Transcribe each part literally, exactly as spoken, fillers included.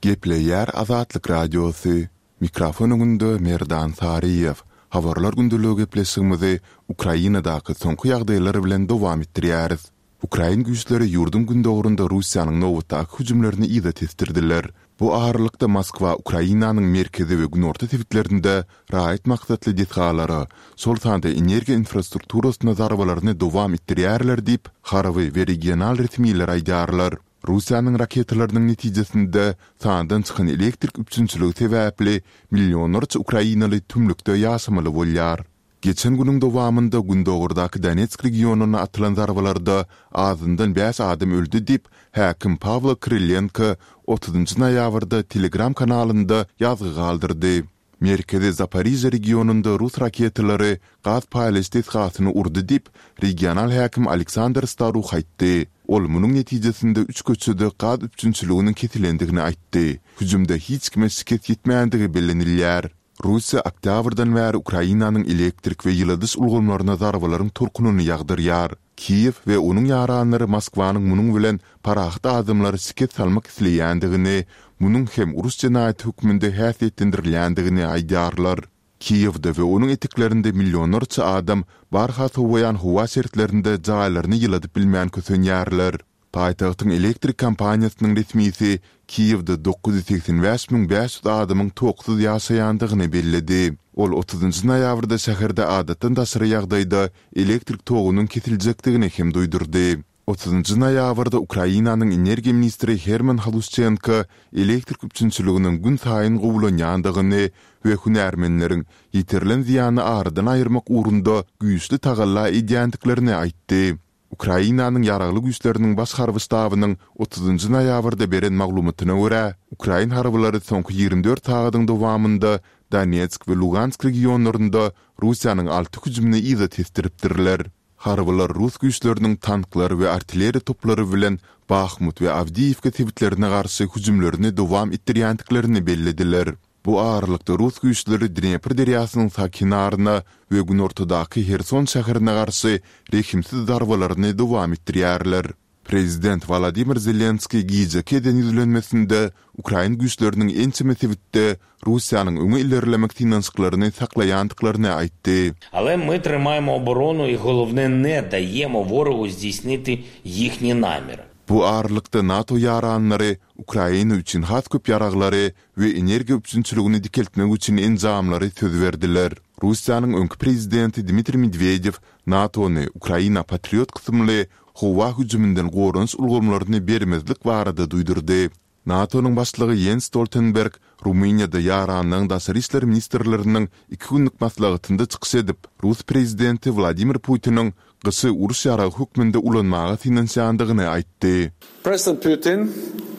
Gepleýär Azatlyk Radiosy, Mikrofon öňünde Merdan Saryýew. Habarlar gündeligi gepleşigimizi Ukrainadaky soňky ýagdaýlar bilen dowam etdirýäris. Ukrain güýçleri ýurduň gündogarynda Russiýanyň nobatdaky hüjümlerini yza tesdirdiler. Bu aralykda Moskwa Ukrainanyň merkezi we günorta sebitlerinde raýat maksatly desgalara, şol sanda energiýa infrastrukturasyna zarbalaryny dowam etdirýärler diýip, harby we regional resmiler aýdýarlar. Russiýanyň raketalarynyň netijesinde sandan çykan elektrik üpjünçiligi sebäpli millionlarça ukrainaly tümlükde ýaşamaly bolýar. Geçen günüň dowamynda gündogardaky Donetsk regionyna atylan zarbalarda azyndan bäş adam öldi diýip, häkim Pawlo Krylenko otuzynjy noýabrda Telegram kanalynda ýazgy galdyrdy. Merkezi Zaporižýa regionynda rus raketalary gaz paýlaýyş desgasyny urdy diýip, regional häkim Aleksandr Staruh aýtdy. Ol munuň netijesinde üç köçede gaz üpjünçiliginiň kesilendigini aýtdy. Hüjümde hiç kime şikes ýetmändigi bellenilýär. Russiýa oktýabrdan bäri Ukrainanyň elektrik we ýyladyş ulgamlaryna zarbalaryň tolkunyny ýagdyrýar. Kiýew we onuň ýaranlary Moskwanyň munuň bilen parahat adamlara şikes salmak isleýändigini, munuň hem uruş jenaýaty hökmünde häsiýetlendirilýändigini aýdýarlar. Kiýewde we onuň eteklerinde millionlarça adam barha sowaýan howa şertlerinde jaýlaryny ýyladyp bilmän kösenýärler. Paýtagtyň elektrik kompaniýasynyň resmisi Kiýewde dokuz ýüz segsen bäş müň bäş ýüz adamyň toksuz ýaşaýandygyny belledi. Ol otuzynjy noýabrda şäherde adatdan daşary ýagdaýda elektrik togunyň kesiljekdigini hem duýdurdy. Otuzynjy noýabrda Ukrainanyň energiýa ministri Herman Halušçenko elektrik üpjünçiliginiň günsaýyn gowulanýandygyny we hünärmenleriň ýetirilen zyýany aradan aýyrmak ugrunda güýçli tagalla edýändiklerini aýtdy. Ukrainanyň Ýaragly Güýçleriniň Baş harby ştabynyň otuzynjy noýabrda beren maglumatyna görä, ukrain harbylary soňky ýigrimi dört sagadyň dowamynda Donetsk we Lugansk regionlarynda Russiýanyň alty hüjümini yza tesdiripdirler. Harbylar rus güýçleriniň tanklar we artilleriýa toplary bilen Bahmut we Awdiýiwka sebitlerine garşy hüjümlerini dowam etdirýändiklerini bellediler. Bu aralykda rus güýçleri Dnepr derýasynyň sag kenaryna we günortadaky Herson şäherine garşy rehimsiz zarbalaryny dowam etdirýärler. Prezident Wolodymyr Zelenskiý gijeki eden ýüzlenmesinde ukrain güýçleriniň ençeme sebitde Russiýanyň öňe ilerlemek synanyşyklaryny saklaýandyklaryny aýtdy. Ale my trymajemo oboronu i holovne ne dajemo worogu zdejsniti ýihni namyry. Bu aralykda NATO ýaranlary Ukraina üçin has köp ýaraglary we energiýa üpjünçiligini dikeltmek üçin enjamlary söz berdiler. Russiýanyň öňki prezidenti Dmitriý Medwedew NATO-ny Ukraina Patriot kysymly howa hüjüminden goranyş ulgamlaryny bermezlik barada duýdurdy. NATO-nyň başlygy Ýens Stoltenberg Rumyniýada ýaranlygyň daşary işler ministrleriniň iki günlük maslahatynda çykyş edip, rus prezidenti Wladimir Putiniň gyşy uruş ýaragy hökmünde ulanmaga synanyşýandygyny aýtdy. President Putin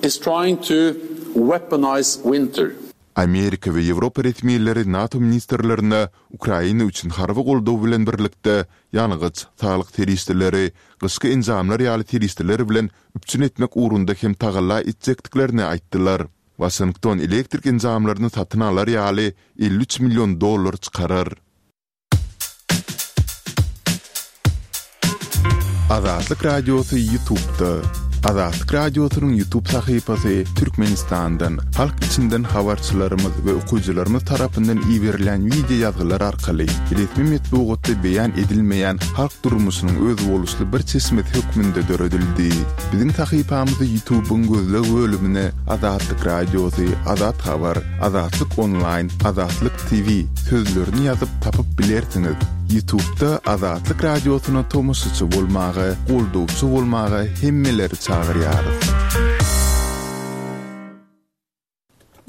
is trying to weaponize winter. Amerika we Ýewropa resmileri NATO ministrlerine Ukraina üçin harby goldaw bilen birlikde ýangyç, saglyk serişdeleri, gyşky enjamlar ýaly serişdeler bilen üpjün etmek ugrunda hem tagalla etjekdiklerini aýtdylar. Waşington elektrik enjamlaryny satyn alar ýaly elli üç million dollar çykarar. Azatlyk Radiosy YouTube'da. Azatlyk Radiosynyň YouTube sahypasy Türkmenistandan, halk içinden habarçylarymyz we okyjylarymyz tarapyndan iberilen wideo ýazgylar arkaly resmi metbugatda beýan edilmeýän halk durmuşynyň özboluşly bir çeşmesi hökmünde döredildi. Biziň sahypamyzy YouTube'yň gözleg bölümine Azatlyk Radiosy, Azat Habar, Azatlyk Onlaýn, Azatlyk TV sözlerini ýazyp tapyp bilersiňiz. Ýutubda Azatlyk Radiosyna tomaşaçy bolmaga, goldawçy bolmaga hemmeleri çagyrýarys.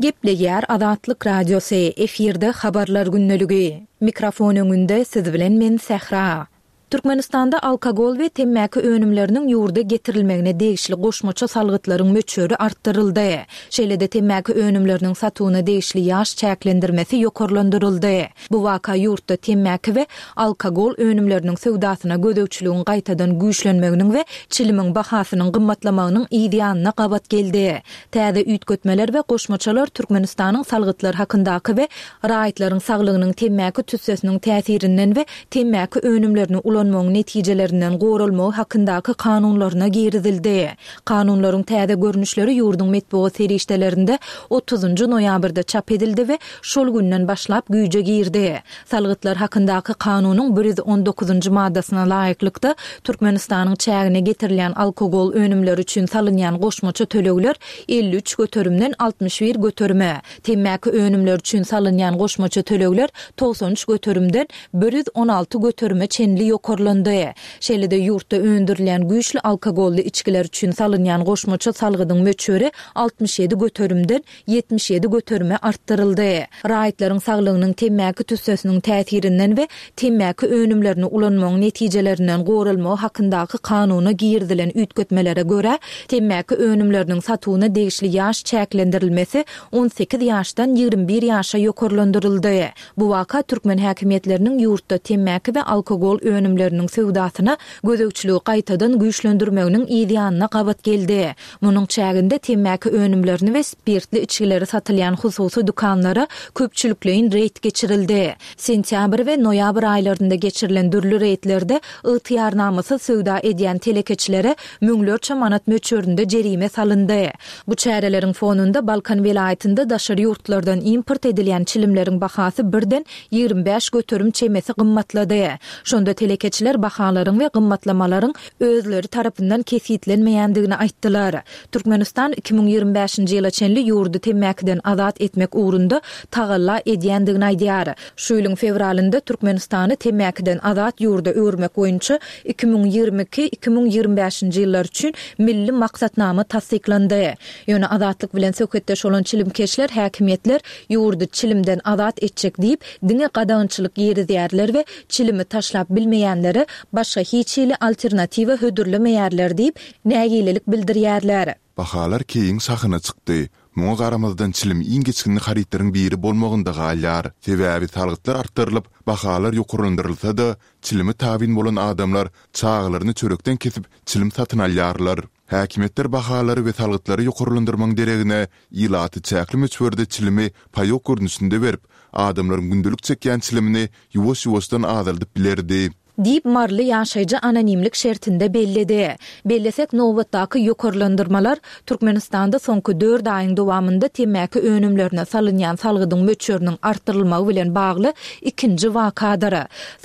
Gepleýär Azatlyk Radiosy, efirde Habarlar gündeligi. Mikrofon öňünde siz bilen men Sähra. Türkmenistanda alkogol we temmäki önümleriniň ýurda getirilmegine degişli goşmaça salgytlaryň möçberi artdyryldy. Şeýle-de temmäki önümleriniň satuwyna degişli ýaş çäklendirmesi ýokarlandyryldy. Bu waka ýurtda temmäki we alkogol önümleriniň söwdasyna gözegçiligiň gaýtadan güýçlenmeginiň we çilimiň bahasynyň gymmatlamagynyň yz ýanyna gabat geldi. Täze üýtgetmeler we goşmaçalar Türkmenistanyň Salgytlar hakyndaky we Raýatlaryň saglygynyň temmäki tüssesiniň täsirinden we temmäki önümlerini ulanmakdan ulanmagyň netijelerinden goralmagy hakyndaky kanunlaryna girizildi. Kanunlaryň täze görnüşleri ýurduň metbugat serişdelerinde otuzynjy noýabrda çap edildi we şol günden başlap güýje girdi. Salgytlar hakyndaky kanunyň bir ýüz on dokuzynjy maddasyna laýyklykda Türkmenistanyň çägine getirilýän alkogol önümleri üçin salynýan goşmaça tölegler elli üç göterimden altmyş bir göterime, temmäki önümleri üçin salynýan goşmaça tölegler togsan üç göterimden bir ýüz on alty göterime çenli ýokarlandy. Şeýle-de ýurtda öndürilýän güýçli alkogolly içgiler üçin salynýan goşmaça salgydyň möçberi altmyş ýedi göterimden ýetmiş ýedi göterime artdyryldy. Raýatlaryň saglygynyň temmäki tüssesiniň täsirinden we temmäki önümlerini ulanmagyň netijelerinden goralmagy hakyndaky kanuna girizilen üýtgetmelere görä, temmäki önümleriniň satuwyna degişli ýaş çäklendirilmesi on sekiz ýaşdan ýigrimi bir ýaşa ýokarlandyryldy. Bu waka türkmen häkimiýetleriniň ýurtda temmäki we alkogol önümleriniň söwdasyna gözegçiligi gaýtadan güýçlendirmeginiň yz ýanyna gabat geldi. Munuň çäginde temmäki önümlerini we spirtli içgileri satylýan hususy dükanlara köpçülikleýin reýd geçirildi. Sentýabr we noýabr aýlarynda geçirilen dürli reýdlerde ygtyýarnamasyz söwda edýän telekeçilere müňlerçe manat möçberinde jerime salyndy. Bu çäreleriň fonunda Balkan welaýatynda daşary ýurtlardan import edilýän çilimleriň bahasy birden ýigrimi bäş göterim çemesi gymmatlady. Şonda telekeçiler bahalaryň we gymmatlamalaryň özleri tarapyndan kesgitlenmeýändigini aýtdylar. Türkmenistan iki müň ýigrimi bäşinji ýyla çenli ýurdy temmäkiden azat etmek ugrunda tagalla edýändigini aýdýar. Şu ýylyň fewralynda Türkmenistany temmäkiden azat ýurda öwürmek boýunça iki müň ýigrimi iki, iki müň ýigrimi bäşinji ýyllar üçin milli maksatnama tassyklandy. Ýöne azatlyk bilen söhbetdeş bolan çilimkeşler häkimiýetler ýurdy çilimden azat etjek diýip, diňe gadagançylyk girizýärler we çilimi taşlap bilmeýänlere başga hiç hili alternatiwa hödürlemeýärler diýip, nägilelik bildirýärler. Bahalar keýiň şahyna çykdy. Muňa garamazdan çilim iň geçginli harytlaryň biri bolmagynda galýar. Sebäbi salgytlar artdyrylyp, bahalar ýokarlandyrylsa-da, çilime tabyn bolan adamlar çagalaryny çörekden kesip çilim satyn alýarlar. Häkimiýetler bahalary we salgytlary ýokarlandyrmagyň deregine ilaty çäkli möçberde çilimi paýok görnüşinde berip, adamlaryň gündelik çekýän çilimini ýuwaş-ýuwaşdan azaldyp bilerdi. Diýip Maryly ýaşaýjy anonimlik şertinde belledi. Bellesek, nobatdaky ýokarlandyrmalar Türkmenistanda soňky dört aýyň dowamynda temmäki önümlerine salynýan salgydyň möçberiniň artdyrylmagy bilen bagly ikinji wakadyr.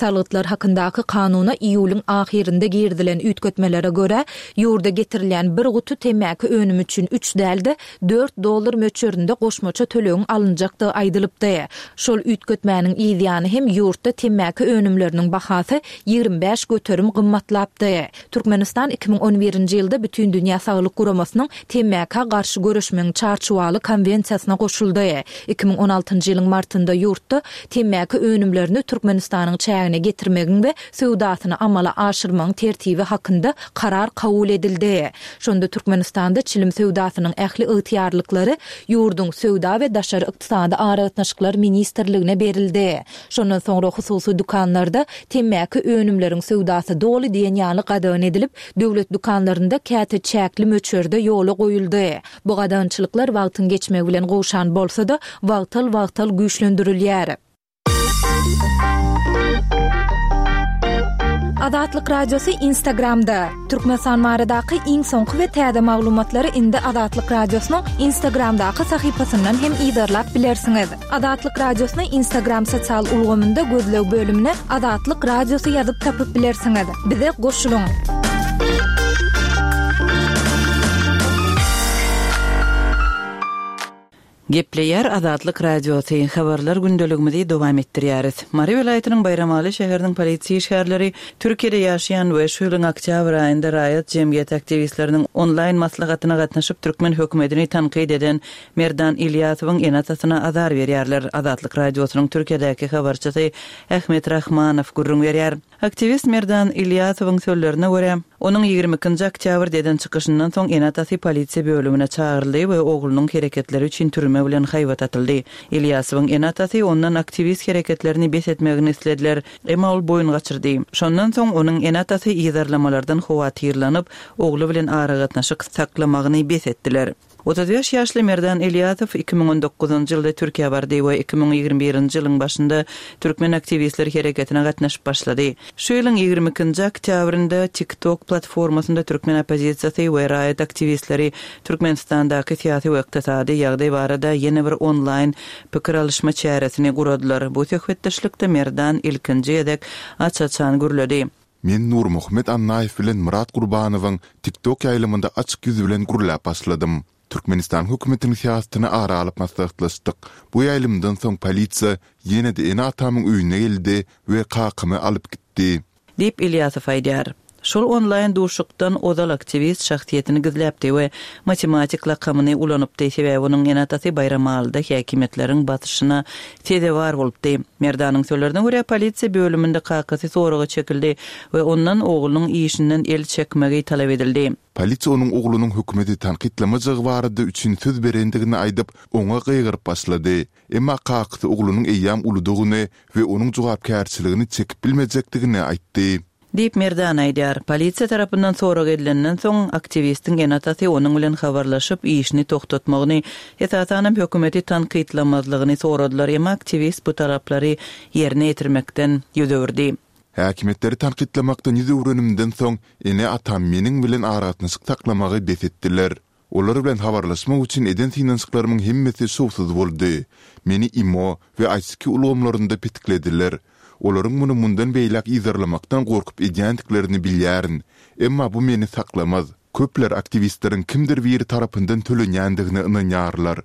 Salgytlar hakyndaky kanuna iýulyň ahyrynda girizilen üýtgetmelere görä, ýurda getirilýän bir guty temmäki önümi üçin üç däl-de dört dollar möçberinde goşmaça tölegiň alynjakdygy aýdylypdy. Şol üýtgetmäniň yz ýany hem ýurtda temmäki önümleriniň bahasy ýigrimi bäş göterim gymmatlapdy. Türkmenistan iki müň on birinji ýylda Bütindünýä Saglyk Guramasynyň temmäkä garşy göreşmegiň çarçuwaly konwensiýasyna goşuldy. Iki müň on altynjy ýylyň martynda ýurtda temmäki önümlerini Türkmenistanyň çägine getirmegiň we söwdasyny amala aşyrmagyň tertibi hakynda karar kabul edildi. Şonda Türkmenistanda çilim söwdasynyň ähli ygtyýarlyklary ýurduň Söwda we Daşary ykdysady aragatnaşyklar ministrligine berildi. Şondan soňra hususy dükanlarda temmäki önümleriň söwdasy doly diýen ýaly gadagan edilip, döwlet dükanlarynda käte çäkli möçberde ýola goýuldy. Bu gadagançylyklar wagtyň geçmegi bilen gowşan bolsa-da, wagtal-wagtal güýçlendirilýär. Azatlyk Radiosy Instagramda. Türkmenistan baradaky iň soňky we täze maglumatlary indi Azatlyk Radiosynyň Instagramdaky sahypasyndan hem yzarlap bilersiňiz. Azatlyk Radiosyny Instagram sosial ulgamynda gözleg bölümine Azatlyk Radiosy ýazyp tapyp bilersiňiz. Bize goşulyň. Gepleýär Azatlyk Radiosy, habarlar gündeligimizi dowam etdirýäris. Mary welaýatynyň Baýramaly şäheriniň polisiýa işgärleri Türkiýede ýaşaýan we şu ýylyň oktýabr aýynda raýat jemgyýet aktiwistleriniň onlaýn maslahatyna gatnaşyp türkmen hökümetini tankyt eden Merdan Ilýasowyň ene-atasyna azar berýärler. Azatlyk Radiosynyň Türkiýedäki habarçysy Ahmet Rahmanow gürrüň berýär. Aktiwist Merdan Ilýasowyň sözlerine görä, onuň ýigrimi ikinji oktýabrda eden çykyşyndan soň ene-atasy polisiýa bölümine çagyryldy we oglunyň hereketleri üçin türme bilen haýbat atyldy. Ilýasowyň ene-atasy ondan aktiwist hereketlerini bes etmegini islediler, emma ol boýun gaçyrdy. Şondan soň onuň ene-atasy yzarlamalardan howatyrlanyp, ogly bilen aragatnaşyk saklamagyny bes etdiler. Otuz bäş ýaşly Merdan Ilýasow iki müň on dokuzynjy ýylda Türkiýä bardy we iki müň ýigrimi birinji ýylyň başynda Türkmen aktiwistler hereketine gatnaşyp başlady. Şu ýylyň ýigrimi ikinji oktýabrynda TikTok platformasynda türkmen oppozisiýasy we raýat aktiwistleri Türkmenistandaky syýasy we ykdysady ýagdaý barada ýene bir onlaýn pikir alyşma çäresini guradylar. Bu söhbetdeşlikde Merdan ilkinji gezek aç-açan gürledi. Men Nurmuhammet Annaýew bilen Myrat Gurbanowyň TikTok ýaýlymynda açyk ýüz bilen gürläp başladym. Türkmenistan hökümetiniň syýasatyny ara alyp maslahatlaşdyk. Bu ýaýlymdan soň polisiýa ýene-de ene-atamyň öýüne geldi we kakamy alyp gitdi. Diýip, Ilýasow aýdýar. Şol onlaýn duşuşykdan ozal aktiwist şahsyýetini gizläpdi we matematik lakamyny ulanypdy, sebäbi onuň ene-atasy Baýramalyda häkimiýetleriň basyşyna sezewar bolupdy. Merdanyň sözlerine görä, polisiýa bölüminde kakasy soraga çekildi we ondan oglunyň işinden el çekmegi talap edildi. Polisiýa onuň oglunyň hökümeti tankytlamajagy barada üçin söz berendigini aýdyp, oňa gygyryp başlady. Emma kakasy oglunyň eýýäm uludygyny we onuň jogapkärçiligini çekip bilmejekdigini aýtdy. Diýip, Merdan aýdýar. Polisiýa tarapyndan sorag edilenden soň, aktiwistiň ene-atasy onuň bilen habarlaşyp, işini togtatmagyny, esasanam hökümeti tankytlamazlygyny soradylar, emma aktiwist bu talaplary ýerine ýetirmekden ýüz öwürdi. Häkimiýetleri tankytlamakdan ýüz öwrenimden soň, ene-atam meniň bilen aragatnaşyk saklamagy bes etdiler. Olar bilen habarlaşmak üçin eden synanyşyklarymyň hemmesi şowsuz boldy. Meni imo we I C Q ulgamlarynda petiklediler. Olaryň muny mundan beýläk yzarlamakdan gorkup edýändiklerini bilýärin. Emma bu meni saklamaz. Köpler aktiwistleriň kimdir biri tarapyndan tölenýändigine ynanýarlar.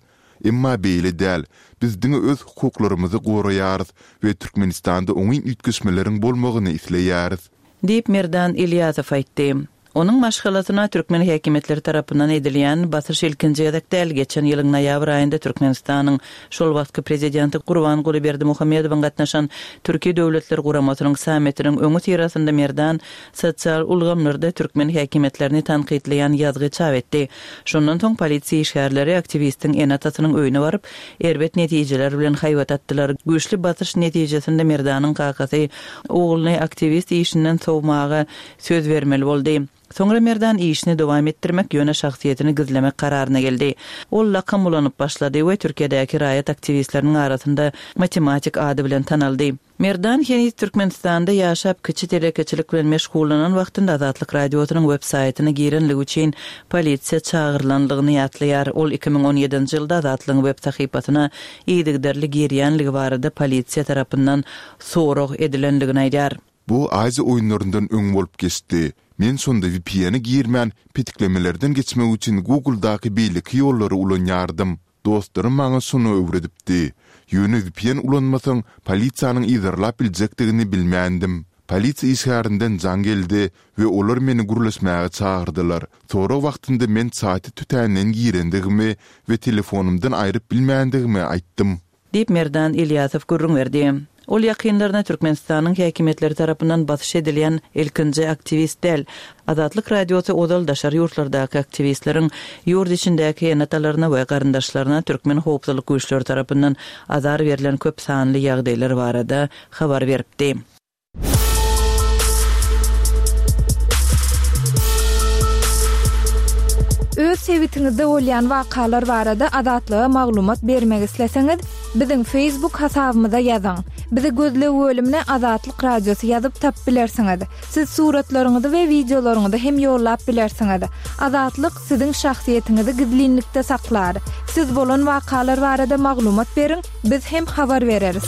Emma beýle däl. Biz diňe öz hukuklarymyzy goraýarys we Türkmenistanda oňyn üýtgeşmeleriň bolmagyny isleýäris. Diýip, Merdan Ilýasow aýtdy. Onuň maşgalasyna türkmen häkimiýetleri tarapyndan edilýän basyş ilkinji gezek däl. Geçen ýylyň noýabr aýynda Türkmenistanyň şol wagtky prezidenti Gurbanguly Berdimuhamedowyň gatnaşan Türki Döwletler Guramasynyň sammitiniň öňi syrasynda Merdan sosial ulgamlarda türkmen häkimiýetlerini tankytlaýan ýazgy çap etdi. Şondan soň polisiýa işgärleri aktiwistiň ene-atasynyň öýüne baryp, erbet netijeler bilen haýbat atdylar. Güýçli basyş netijesinde Merdanyň kakasy ogluny aktiwist işinden sowmaga söz bermeli boldy. Soňra Merdan işini dowam etdirmek, ýöne şahsyýetini gizlemek kararyna geldi. Ol lakam ulanyp başlady we Türkiýedäki raýat aktiwistleriniň arasynda matematik ady bilen tanaldy. Merdan heniz Türkmenistanda ýaşap kiçi telekeçilik bilen meşgullanan wagtynda Azatlyk Radiosynyň web saýtyna girenligi üçin polisiýa çagyrylanlygyny ýatlaýar. Ol iki müň on ýedinji ýylda Azatlygyň web sahypasyna yzygiderli girýänligi barada polisiýa tarapyndan sorag edilenligini aýdýar. Bu Aziýa oýunlaryndan öň bolup geçdi. Men şonda V P N-e girmän, petiklemelerden geçmek üçin Google'daky beýleki ýollary ulanýardym. Dostlarym maňa şony öwredipdi. Ýöne V P N ulanmasaň, polisiýanyň yzarlap biljekdigini bilmändim. Polisiýa işgärinden jaň geldi we olar meni gürleşmäge çagyrdylar. Sorag wagtynda men saýta tötänden girendigimi we telefonumdan aýryp bilmändigimi aýtdym. Diýip Merdan Ilýasow gürrüň berdi. Ol ýakynlaryna Türkmenistanyň häkimiýetleri tarapyndan basyş edilýän ilkinji aktiwist däl. Azatlyk Radiosy ozal daşary ýurtlardaky aktiwistleriň ýurt içindäki ene-atalaryna we garyndaşlaryna türkmen howpsuzlyk güýçleri tarapyndan azar berlen köp sanly ýagdaýlar barada habar beripdi. Öz sebitiňizde bolýan wakalar barada Azatlyga maglumat bermek isleseňiz, biziň Facebook hasabymyza ýazyň. Bizi gözleg bölümine Azatlyk Radiosy ýazyp tap bilersiňiz. Siz suratlaryňyzy we wideolaryňyzy hem ýollap bilersiňiz. Azatlyk siziň şahsyýetiňizi gizlinlikde saklar. Siz bolan wakalar barada maglumat beriň, biz hem habar bereris.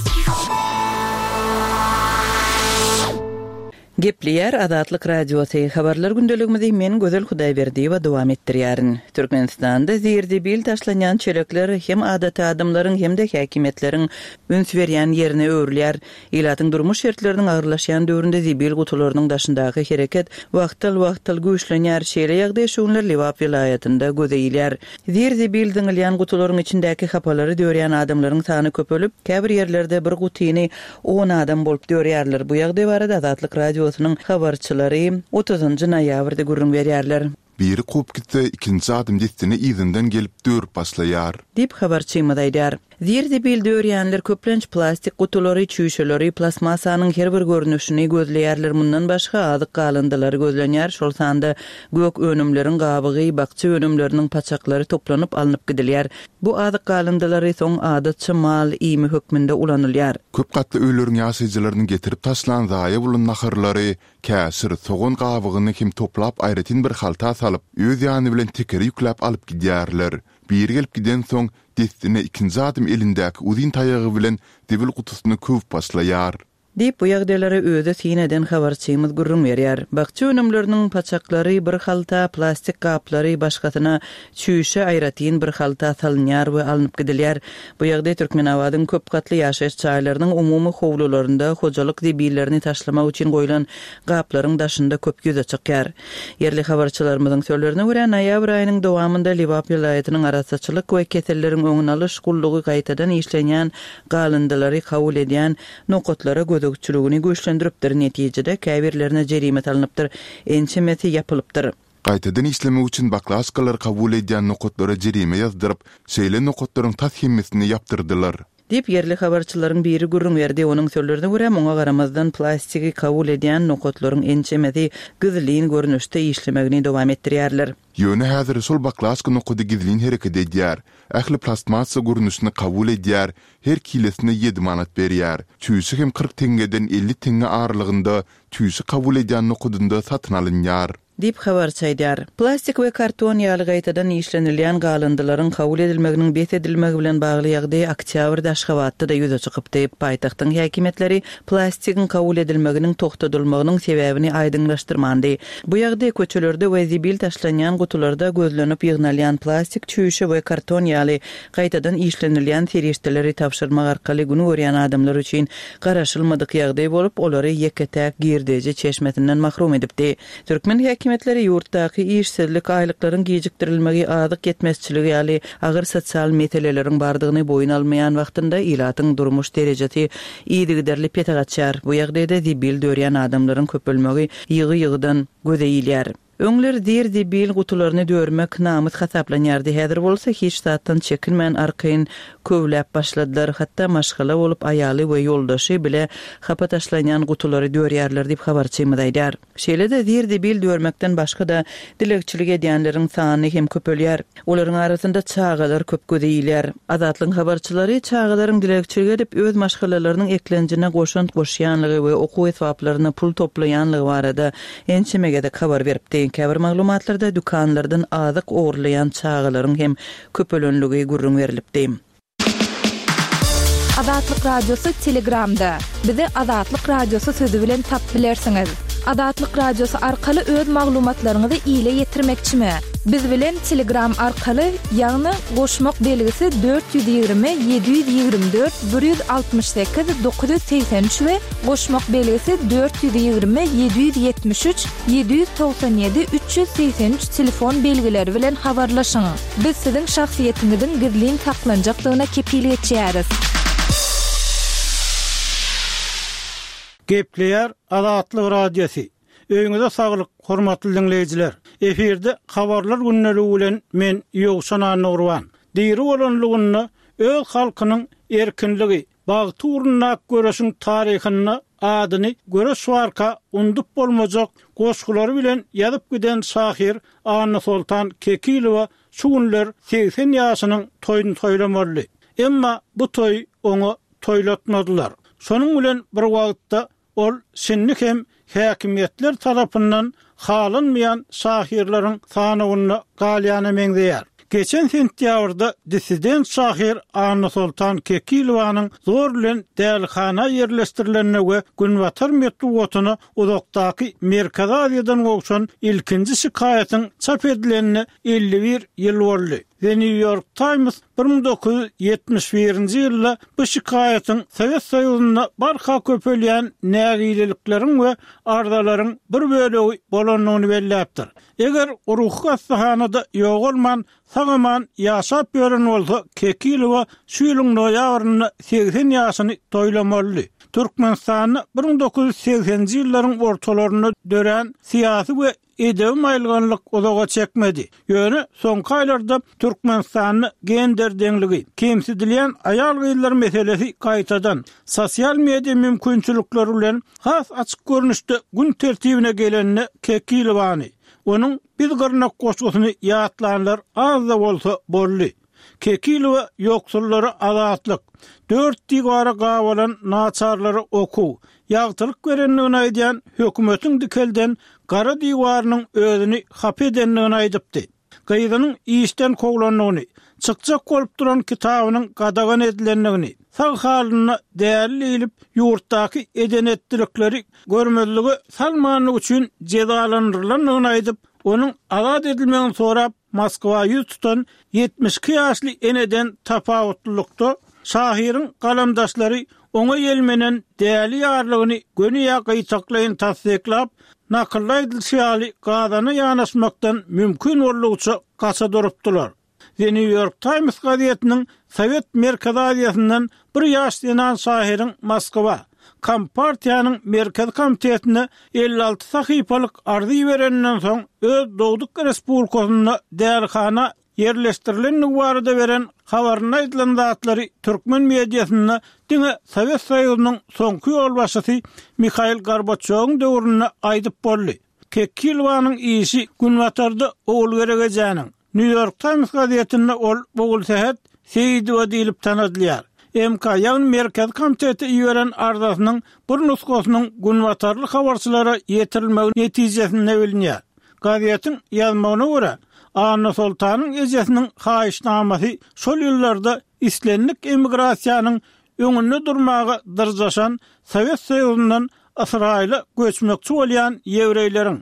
Gepleýär Azatlyk Radiosy. Habarlar gündeligimizi men Gözel Hudaýberdiýewa dowam etdirýärin. Türkmenistanda zir-zibil taşlanýan çelekler hem adaty adamlaryň hem-de häkimiýetleriň üns berýän ýerine öwrülýär. Ilatyň durmuş şertleriniň agyrlaşýan döwründe zibil gutularynyň daşyndaky hereket wagtal-wagtal güýçlenýär. Şeýle ýagdaý şu günler Lebap welaýatynda göze ilýär. Zir-zibil zyňylýan gutularyň içindäki hapalary dörýän adamlaryň sany köpelip, käbir ýerlerde bir gutyny on adam bolup dörýärler. Bu ýagdaý barada Azatlyk Radiosynyň habarçylary otuzynjy noýabrda gürrüň berýärler. Biri kop gitse, ikinji adam destine yzyndan gelip dörüp başlaýar. Diýip habarçymyz aýdar. Zir-zibil dörýänler köplenç plastik gutulary, çüýşeleri, plastmassanyň her bir görnüşini gözleýärler. Mundan başga azyk galyndylary gözlenýär, şol sanda gök önümleriň gabygy, bakja önümleriniň paçaklary toplanyp alnyp gidilýär. Bu azyk galyndylary soň adatça mal iými hökmünde ulanylýar. Köp gatly öýleriň ýaşaýjylarynyň getirip taşlan zaýa bolan naharlary, käşir, sogan gabygyny hem toplap aýratyn bir halta salyp, öz ýany bilen tekere ýükläp alyp gidýärler. Biri gelip gidensoň, dessine ikinji adam elindäki uzyn taýagy bilen zibil gutusyny köwüp başlaýar. Diýip, bu ýagdaýlara özi syn eden habarçymyz gürrüň berýär. Bakja önümleriniň paçaklary bir halta, plastik gaplary başgasyna, çüýşe aýratyn bir halta salynýar we alnyp gidilýär. Bu ýagdaý Türkmenabadyň köp gatly ýaşaýyş jaýlarynyň umumy howlularynda hojalyk zibillerini taşlamak üçin goýlan gaplaryň daşynda köp ýüze çykýar. Ýerli habarçylarymyzyň sözlerine görä, noýabr aýynyň dowamynda Lebap welaýatynyň Arassaçylyk we keselleriň öňüni alyş gullugy gaýtadan işlenýän galyndylary kabul edýän nokatlara gözegçiligini güýçlendiripdir, netijede käbirlerine jerime salnypdyr, ençemesi ýapylypdyr. Gaýtadan işlemek üçin baklaşkalary kabul edýän nokatlara jerime ýazdyryp, şeýle nokatlaryň tas hemmesini ýapdyrdylar. Diýip, ýerli habarçylaryň biri gürrüň berdi. Onuň sözlerine görä, muňa garamazdan plastigi kabul edýän nokatlaryň ençemesi gizlin görnüşde işlemegini dowam etdirýärler. Ýöne häzir şol baklaşka nokady gizlin hereket edýär. Ähli plastmassa görnüşini kabul edýär, her kilesine ýedi manat berýär. Çüýşe hem kyrk teňňeden elli teňňe aralygynda çüýşe kabul edýän nokadynda satyn alynýar. Diýip, habarçy aýdýar. Plastik we karton ýaly gaýtadan işlenilýän galyndylaryň kabul edilmeginiň bes edilmegi bilen bagly ýagdaý oktýabrda Aşgabatda-da ýüze çykypdy. Paýtagtyň häkimiýetleri plastigiň kabul edilmeginiň togtadylmagynyň sebäbini aýdyňlaşdyrmandy. Bu ýagdaý köçelerde we zibil taşlanýan gutularda gözlenip ýygnalýan plastik, çüýşe we karton ýaly gaýtadan işlenilýän serişdeleri tabşyrmak arkaly gün görýän adamlar üçin garaşylmadyk ýagdaý bolup, olary ýeke-täk girdeji çeşmesinden mahrum edipdi. Türkmen häkimiýetleri ýurtdaky işsizlik, aýlyklaryň gijikdirilmegi, azyk ýetmezçiligi ýaly agyr sosial meseleleriň bardygyny boýun almaýan wagtynda ilatyň durmuş derejesi yzygiderli pese gaçýar. Bu ýagdaýda zibil dörýän adamlaryň köpelmegi ýygy-ýygydan göze ilýär. Öňler zir-zibil gutularyny dörmek namys hasaplanýardy, häzir bolsa hiç zatdan çekinmän arkaýyn köwläp başladylar, hatda maşgala bolup aýaly we ýoldaşy bile hapa taşlanýan gutulary dörýärler diýip habarçymyz aýdýar. Şeýle-de zir-zibil dörmekden başga-da dilegçilik edýänleriň sany hem köpelýär. Olaryň arasynda çagalar köp göze ilýär. Azatlygyň habarçylary çagalaryň dilegçilik edip öz maşgalalarynyň eklenjine goşant goşýanlygy we okuw esbaplaryna pul toplaýanlygy barada ençeme gezek habar beripdi. Käbir maglumatlarda dükanlardan azyk ogurlaýan çagalaryň hem köpelenligi gürrüň berlipdi. Azatlyk Radiosy Telegramda. Bizi Azatlyk Radiosy sözi bilen tapyp bilersiňiz. Azatlyk Radiosy arkaly öz maglumatlaryňyzy ile ýetirmekçimi? Biz bilen Telegram arkaly, ýagny goşmak belgisi dört ýüz ýigrimi, ýedi ýüz ýigrimi dört, bir ýüz altmyş sekiz, dokuz ýüz segsen üç we goşmak belgisi dört ýüz ýigrimi, ýedi ýüz ýetmiş üç, ýedi ýüz togsan ýedi, üç ýüz segsen üç telefon belgileri bilen habarlaşyň. Biz siziň şahsyýetiňiziň gizlin saklanjakdygyna kepil geçýäris. Gepleýär Azatlyk Radiosy. Öýüňize saglyk, hormatly diňleýjiler. Efirde habarlar gündeligi bilen men Ýowşan Annagurban. Diri bolanlygynda öz halkynyň erkinligi, bagty ugrundaky göreşiň taryhynda adyny göreş barka undup bolmajak goşgulary bilen ýazyp giden şahyr Annasoltan Kekilowa şu günler segsen ýaşynyň toýuny toýlamaly. Emma bu toý oňa toýlatmadylar. Şonuň bilen bir wagtda ol şindi hem häkimiýetler tarapyndan halanmaýan şahyrlaryň sanawynda galýana meňzeýär. Geçen sentýabrda dissident şahyr Annasoltan Kekilowanyň zor bilen dälihana ýerleşdirilenine we Günbatar metbugatyna uzakdaky Merkezi Aziýadan gowşan ilkinji şikaýatyň çap edilenine elli bir ýyl boldy. The New York Times bir müň dokuz ýüz ýetmiş birinji ýylda bu şikaýatyň Sowet Soýuzynda barha köpelýän nägilelikleriň we arzalaryň bir bölegi bolandygyny belläpdir. Eger ruhy hassahanada ýogalman, sag-aman ýaşap ýören bolsa, Kekilowa şu ýylyň noýabrynda segsen ýaşyny toýlamalydy. Türkmenistanda bir müň dokuz ýüz segsenji ýyllaryň ortalarynda dörän syýasy we edebi maýylganlyk uzaga çekmedi. Ýöne soňky aýlarda Türkmenistanda gender deňligi, kemsidilýän aýal-gyzlar meselesi gaýtadan sosial media mümkinçilikleri bilen has açyk görnüşde gün tertibine geleninde Kekilowany, onuň Biz gyrnak goşgusyny ýatlanlar az-da bolsa boldy. Kekilowa ýoksullara azatlyk, dört diwara gabalan naçarlara okuw, ýagtylyk berendigini aýdýan hökümetiň dikelden gara diwarynyň özüni hapa edendigini aýdypdy. Gyzynyň işden kowlandygyny, çykjak bolup duran kitabynyň gadagan edilendigini, sag halynda däli diýlip, ýurtdaky eden-etdilikleri görmezlige salmanlygy üçin jezalandyrylandygyny aýdyp, onuň azat edilmegini sorap, Moskwa ýüz tutan ýetmiş iki ýaşly eneden tapawutlylykda, şahyryň galamdaşlary oňa ýelmenen däli ýarlygyny göni ýa gytaklaýyn tassyklap, nakylda aýdylyşy ýaly gazana ýanaşmakdan mümkin boldugyça gaça durupdylar. The New York Times gazetiniň Sowet Merkezi Aziýasyndan bir ýaş zenan şahyryň Moskwa, Kompartiýanyň Merkezi Komitetine elli alty sahypalyk arza ibereninden soň öz dogduk respublikasynda dälihana ýerleşdirilendigi barada beren habarynda aýdylan zatlary türkmen mediasynda diňe Sowet Soýuzynyň soňky ýolbaşçysy Mihail Gorbaçýowyň döwründe aýdyp boldy. Kekilowanyň işi Günbatarda Ogulgerek ejäniň, New York Times gazetinde ol Ogulsähet Seýidowa diýlip tanadylýar. M K, ýagny Merkezi komitete iberen arzasynyň bir nusgasynyň günbatarly habarçylara ýetirilmegi netijesinde bilinýär. Gazetiň ýazmagyna görä, Annasoltanyň ejesiniň haýyşnamasy şol ýyllarda islendik emigrasiýanyň öňünde durmaga dyrjaşan Sowet Soýuzyndan Ysraýyla göçmekçi bolýan ýewreýleriň,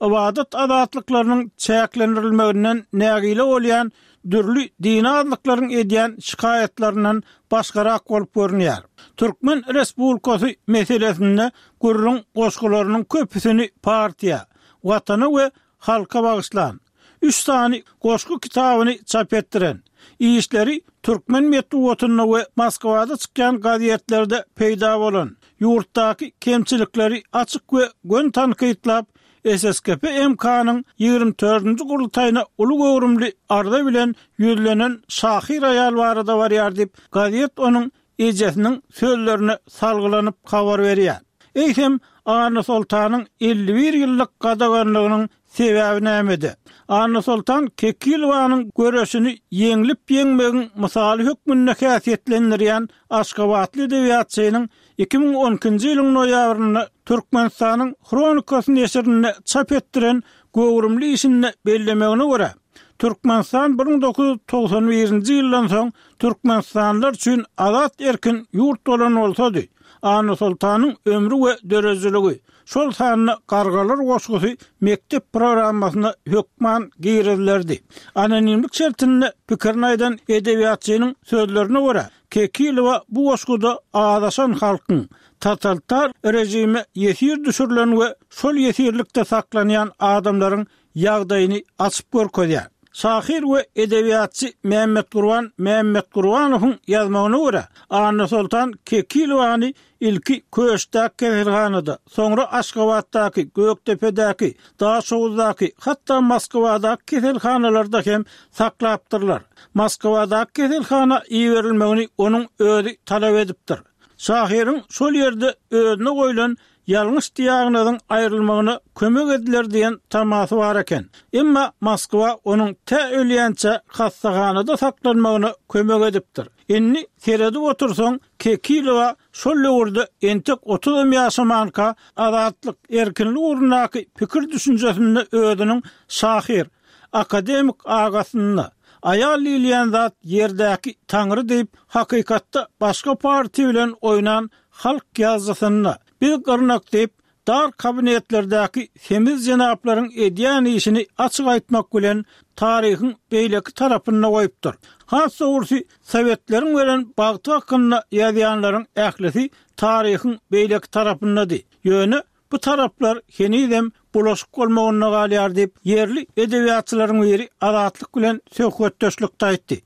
ybadat azatlyklarynyň çäklendirilmeginden nägile bolýan dürli dini azlyklaryň edýän şikaýatlaryndan başgarak bolup görünýär. Türkmen Respublikasy meselesinde gürrüň goşgularynyň köpüsini partiýa, Watana we halka bagyşlan, üç sany goşgy kitabyny çap etdiren, işleri türkmen metbugatynda we Moskwada çykýan gazetlerde peýda bolan, ýurtdaky kemçilikleri açyk we göni tankytlap, S S K P M K-nyň ýigrimi dördünji gurultaýyna uly göwrümli arza bilen ýüzlenen şahyr aýal barada barýar diýip, gazet onuň ejesiniň sözlerine salgylanyp habar berýär. Eýsem, Annasoltanyň elli bir ýyllyk gadaganlygynyň sebäbi nämede? Annasoltan Kekilowanyň göreşini ýeňlip ýeňmegiň mysaly hökmünde häsiýetlendirýän Aşgabatly edebiýatçynyň iki müň on ikinji ýylyň noýabrynda Türkmenistanyň Hronikasy neşirinde çap etdiren göwrümli işinde bellemegine görä, Türkmenistan bir müň dokuz ýüz togsan birinji ýyldan soň Türkmenistanlylar üçin azat erkin ýurt bolan bolsady, Annasoltanyň ömri we dörejiligi, şol sanda Gargalar goşgusy mekdep programmasyna hökman girizilerdi. Anonimlik şertinde pikirini aýdan edebiýatçynyň sözlerine görä, Kekilowa bu goşguda azaşan halkyň, totalitar rejime ýesir düşürilen we şol ýesirlikde saklanýan adamlaryň ýagdaýyny açyp görkezýär. Şahyr we edebiýatçy Mämmetgurban Mämmetgurbanowyň ýazmagyna görä, Annasoltan Kekilowany ilki Köşdäki keselhanada, soňra Aşgabatdaky, Gökdepedäki, Daşoguzdaky, hatda Moskwadaky keselhanalarda hem saklapdyrlar. Moskwadaky keselhana iberilmegini onuň özi talap edipdir. Şahyryň şol ýerde özüne goýlan ýalňyş diagnozyň aýrylmagyna kömek ediler diýen tamasy bar eken. Emma Moskwa onuň tä ölýänçä hassahanada saklanmagyna kömek edipdir. Indi seredip otursaň, Kekilowa şol döwürde entek otuzam ýaşamanka azatlyk, erkinlik ugrundaky pikir düşünjesinde özüniň şahyr, akademik agasynda, aýal diýilýän zat ýerdäki taňry diýip, hakykatda başga partiýa bilen oýnan halk ýazyjysynda, biz gyrnak diýip, dar kabinetlerdäki semiz jenaplaryň edýän işini açyk aýtmak bilen taryhyň beýleki tarapynda goýupdyr. Has dogrusy, Sowetleriň beren bagty hakynda ýazýanlaryň ählisi taryhyň beýleki tarapyndady. Ýöne bu taraplar henizem bulaşyk bolmagynda galýar diýip, ýerli edebiýatçylaryň biri Azatlyk bilen söhbetdeşlikde aýtdy.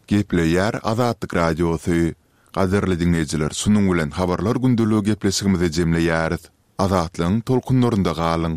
Gepleýär Azatlyk Radiosy. Gadyrly diňleýjiler, şunuň bilen habarlar gündeligi gepleşigimizi jemleýäris. Azatlygyň tolkunlarynda galyň!